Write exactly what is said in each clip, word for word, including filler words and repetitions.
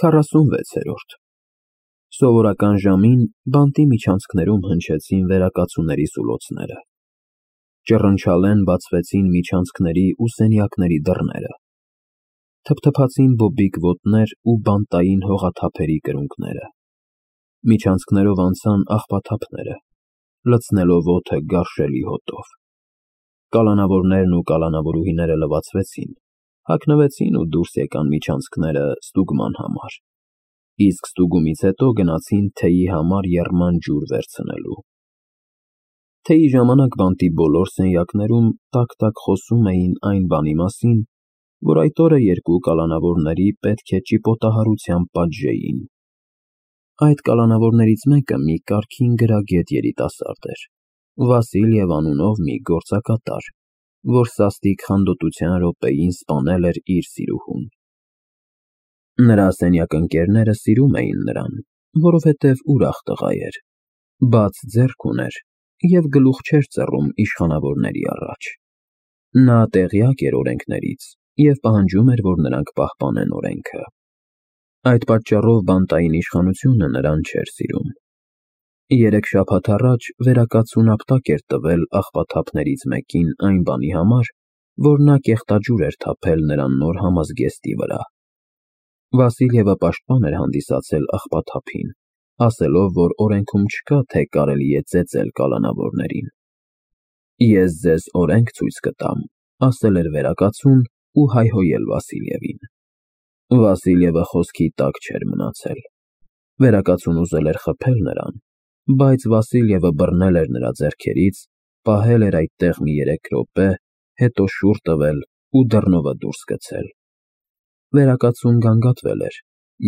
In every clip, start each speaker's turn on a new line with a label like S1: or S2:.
S1: քառասունվեցերորդ Սովորական ժամին բանտի միջանցքներում հնչեցին վերակացուների սուլոցները։ Ճռնչալեն բացվեցին միջանցքների ու սենյակների դռները։ Թփթփացին բոբիկ ոտներ ու բանտային հողաթափերի կրունկները։ Միջանցքներով անցան աղբաթափները, լցնելով օդը գարշելի հոտով։ Կալանավորներն ու կալանավորուհիները լվացվեցին, հագնվեցին ու դուրս եկան միջանցքները ստուգման համար, իսկ ստուգումից հետո գնացին թեյի համար եռման ջուր վերցնելու։ Թեյի ժամանակ բանտի բոլոր սենյակներում տաք-տաք խոսում էին այն բանի մասին, որ այդ օրը երկու կալանավորների պետք է ճիպոտահարությամբ պատժեին։ Այդ կալանավորներից մեկը մի կարգին գրագետ երիտասարդ էր, Վասիլև անունով մի գործակատար, որ սաստիկ խանդոտության րոպեին սպանել էր իր սիրուհուն։ Նրա սենյակընկերները սիրում էին նրան, որովհետև ուրախ տղա էր, բաց ձեռք ուներ և գլուխ չէր ծռում իշխանավորների առաջ։ Նա տեղյակ էր օրենքներից և պահանջում էր, որ նրանք պահպանեն օրենքը։ Այդ պատճառով բանտային իշխանությունը նրան չէր սիրում։ Երեք շաբաթ առաջ վերակացուն ապտակ էր տվել աղբաթափներից մեկին այն բանի համար, որ նա կեղտաջուր էր թափել նրա նոր համազգեստի վրա։ Վասիլևը պաշտպան էր հանդիսացել աղբաթափին, ասելով, որ օրենքում չկա, թե կարելի է ծեծել կալանավորներին։ Ես ձեզ օրենք ցույց կտամ, ասել էր վերակացուն ու հայհոյել Վասիլևին։ Վասիլևը խոսքի տակ չէր մնացել։ Վերակացուն ուզել էր խփել նրան, բայց Վասիլևը բռնել էր նրա ձեռքերից, պահել էր այդտեղ մի երեք րոպե, հետո շուռ տվել ու դռնովը դուրս գցել։ Վերակացուն գանգատվել էր,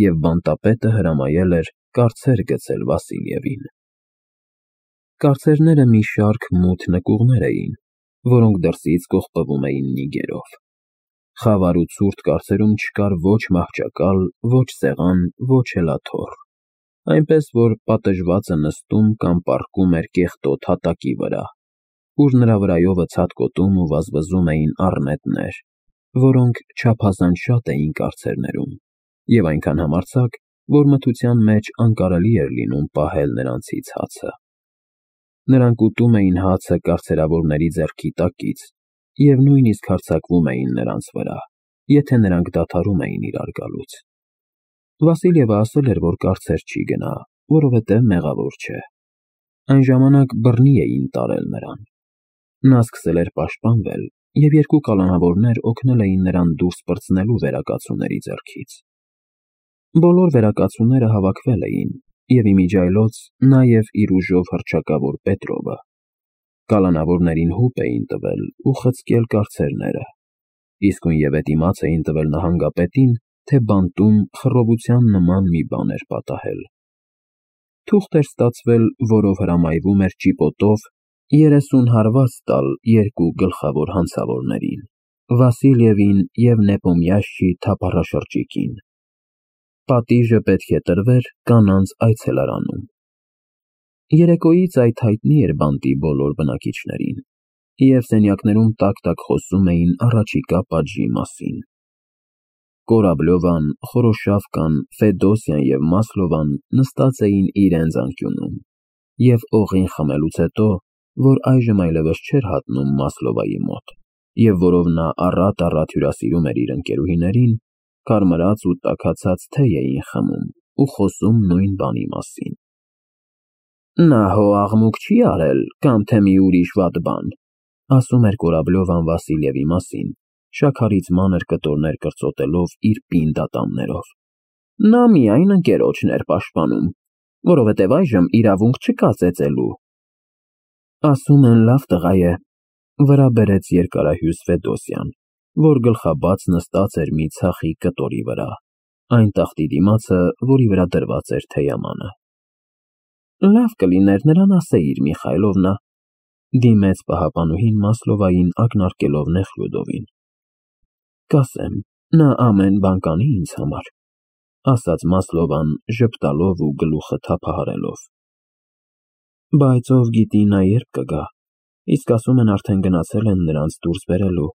S1: և բանտապետը հրամայել էր կառցեր գցել Վասիլևին։ Կառցերները մի շարք մութ նկուղներ էին, որոնք դրսից կողպվում էին նիգերով։ Խավար ու ցուրտ կառցերում չկար ոչ մահճակալ, ոչ սեղան, ոչ էլ աթոռ, այնպես որ պատժվածը նստում կամ պառկում էր կեղտոտ հատակի վրա, ուր նրա վրայովը ցատկոտում ու վազվզում էին առնետներ, որոնք չափազանց շատ էին կառցերներում, և այնքան համարձակ, որ մթության մեջ անկարելի էր լինում պահել նրանցից հացը։ Նրանք ուտում էին հացը կառցերավորների ձեռքի տակից և նույնիսկ հարձակվում էին նրանց վրա, եթե նրանք դադարում էին իրար գալուց։ Վասիլևը ասել էր, որ կառցեր չի գնա, որովհետև մեղավոր չէ։ Այն ժամանակ բռնի էին տարել նրան։ Նա սկսել էր պաշտպանվել, և երկու կալանավորներ օգնել էին նրան դուրս պրծնելու վերակացուների ձեռքից։ Բոլոր վերակացուները հավաքվել էին, և իմիջիայլոց նաև իր ուժով հռչակավոր Պետրովը։ Կալանավորներին հուպ էին տվել ու խցկել կառցերները, իսկույնևեթ իմաց էին տվել նահանգապետին, թե բանտում խռովության նման մի բան էր պատահել։ Թուղթ էր ստացվել, որով հրամայվում էր ճիպոտով երեսուն հարված տալ երկու գլխավոր հանցավորներին՝ Վասիլևին և Նեպոմյաշչի թափառաշրջիկին։ Պատիժը պետք է տրվեր կանանց այցելարանում։ Երեկոյից այդ հայտնի էր բանտի բոլոր բնակիչներին, և սենյակներում տաք-տաք խոսում էին առաջիկա պատժի մասին։ Կորաբլյովան, Խորոշավկան, Ֆեդոսյան և Մասլովան նստած էին իրենց անկյունում, և օղին խմելուց հետո, որ այժմ այլևս չէր հատնում Մասլովայի մոտ, և որով նա առատ-առատ հյուրասիրում էր իր ընկերուհիներին, կարմրած ու տաքացած թեյ էին խմում ու խոսում նույն բանի մասին։ Նա հո աղմուկ չի արել, կամ թե մի ուրիշ վատ բան, ասում էր Կորաբլյովան Վասիլևի մասին, շաքարից մանր կտորներ կրծոտելով իր պինդ ատամներով։ Նա միայն ընկերոջն էր պաշտպանում, որովհետև այժմ իրավունք չկա ծեծելու։ Ասում են լավ տղա է, վրա բերեց երկարահյուս Ֆեդոսյան, որ գլխաբաց նստած էր մի ցախի կտորի վրա, այն տախտի դիմացը, որի վրա դրված էր թեյամանը։ Լավ կլիներ նրան ասեիր, Միխայլովնա, դիմեց պահապանուհին Մասլովային ակնարկելով Նեխլյուդովին։ Կասեմ, նա ամեն բան կանի ինձ համար, ասաց Մասլովան ժպտալով ու գլուխը թափահարելով։ Բայց ով գիտի նա երբ կգա, իսկ ասում են արդեն գնացել են նրանց դուրս բերելու,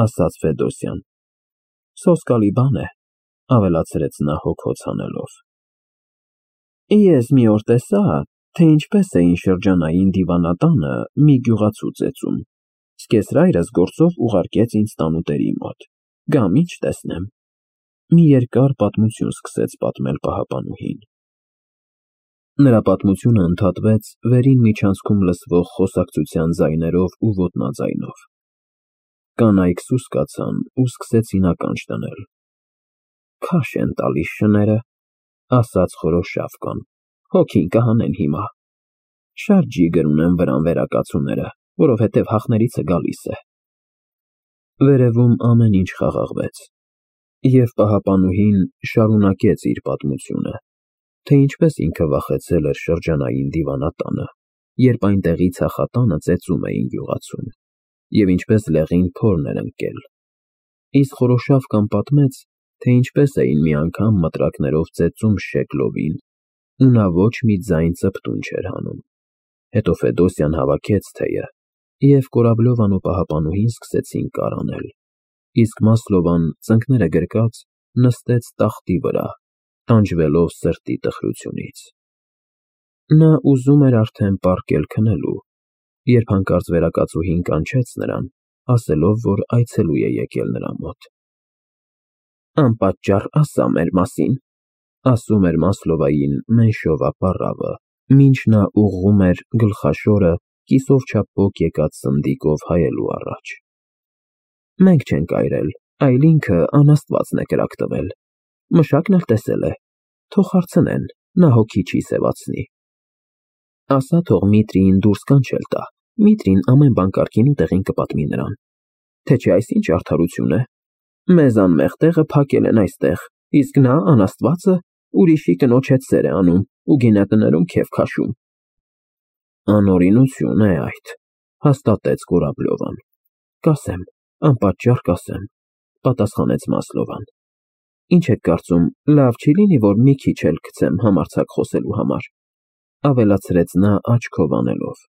S1: ասաց Ֆեդոսյան։ Սոսկալի բան է, ավելացրեց նա հոգոց հանելով։ Ես մի օր տեսա, թե ինչպես էին շրջանային դիվանատանը մի գյուղացու ծեծում։ Սկեսրայրս գործով ուղարկեց ինձ տանուտերի մոտ։ Գամ ինչ տեսնեմ։ Մի երկար պատմություն սկսեց պատմել պահապանուհին։ Նրա պատմությունը ընդհատվեց վերին միջանցքում լսվող խոսակցության ձայներով ու ոտնաձայնով։ Կանայք սուսկացան ու սկսեցին ականջ դնել։ Քաշ են տալիս շները, ասաց Խորոշավկան, հոգին կհանեն հիմա։ Շատ ջիգր ունեն վրան վերակացուները, որովհետև հախներից է գալիս է։ Վերևում ամեն ինչ խաղաղվեց, և պահապանուհին շարունակեց իր պատմությունը, թե ինչպես ինքը վախեցել էր շրջանային դիվանատանը, երբ այնտեղի ցախատանը ծեծում էին գյուղացուն, և ինչպես լեղին փորն էր ընկել։ Իսկ Խորոշավկան պատմեց, թե ինչպես էին մի անգամ մտրակներով ծեծում Շեգլովին, ու նա ոչ մի ձայն ծպտուն չէր հանում։ Հետո Ֆեդոսյան հավաքեց թեյը, և Կորաբլովան ու պահապանուհին սկսեցին կարանել, իսկ Մասլովան, ծնկները գրկած, նստեց տախտի վրա, տանջվելով սրտի տխրությունից։ Նա ուզում էր արդեն պառկել քնելու, երբ հանկարծ վերակացուհին կանչեց նրան, ասելով, որ այցելու է եկել նրա մոտ։ Անպատճառ ասա մեր մասին, ասում էր Մասլովային Մենշովա պառավը, մինչ նա ուղղում էր գլխաշորը կիսով չափ եկած սնդիկով հայելու առաջ։ Մենք չենք այրել, այլ ինքը անաստվածն է կրակ տվել։ Մշակն էլ տեսել է, թող հարցնեն, նա հոգի չի սևացնի։ Ասա թող Միտրիին դուրս կանչել տա, Միտրին ամեն բան կարգին ու տեղին կպատմի նրան, թե չէ այս ինչ արդարություն է։ Մեզ անմեղ տեղը փակել են այստեղ, իսկ նա անաստվածը ուրիշի կնոջ հետ սեր է անում ու գինետներում քեֆ քաշում։ Անօրինություն է այդ, հաստատեց Կորաբլովան։ Կասեմ, անպատճառ կասեմ, պատասխանեց Մասլովան։ Ինչ եք կարծում, լավ չի լինի, որ մի քիչ էլ գցեմ համարձակ խոսելու համար, ավելացրեց նա աչքով անելով։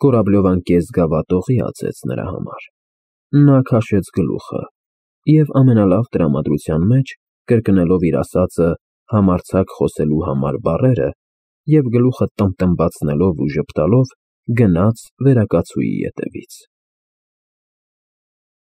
S1: Կորաբլովան կեսգավաթողի ածեց նրա համար։ Նա քաշեց գլուխը և ամենալավ տրամադրության մեջ, կրկնելով իր ասածը համարձակ խոսելու համար բառերը և գլուխը տմբտմբացնելով ու ժպտալով, գնաց վերակացուի ետևից։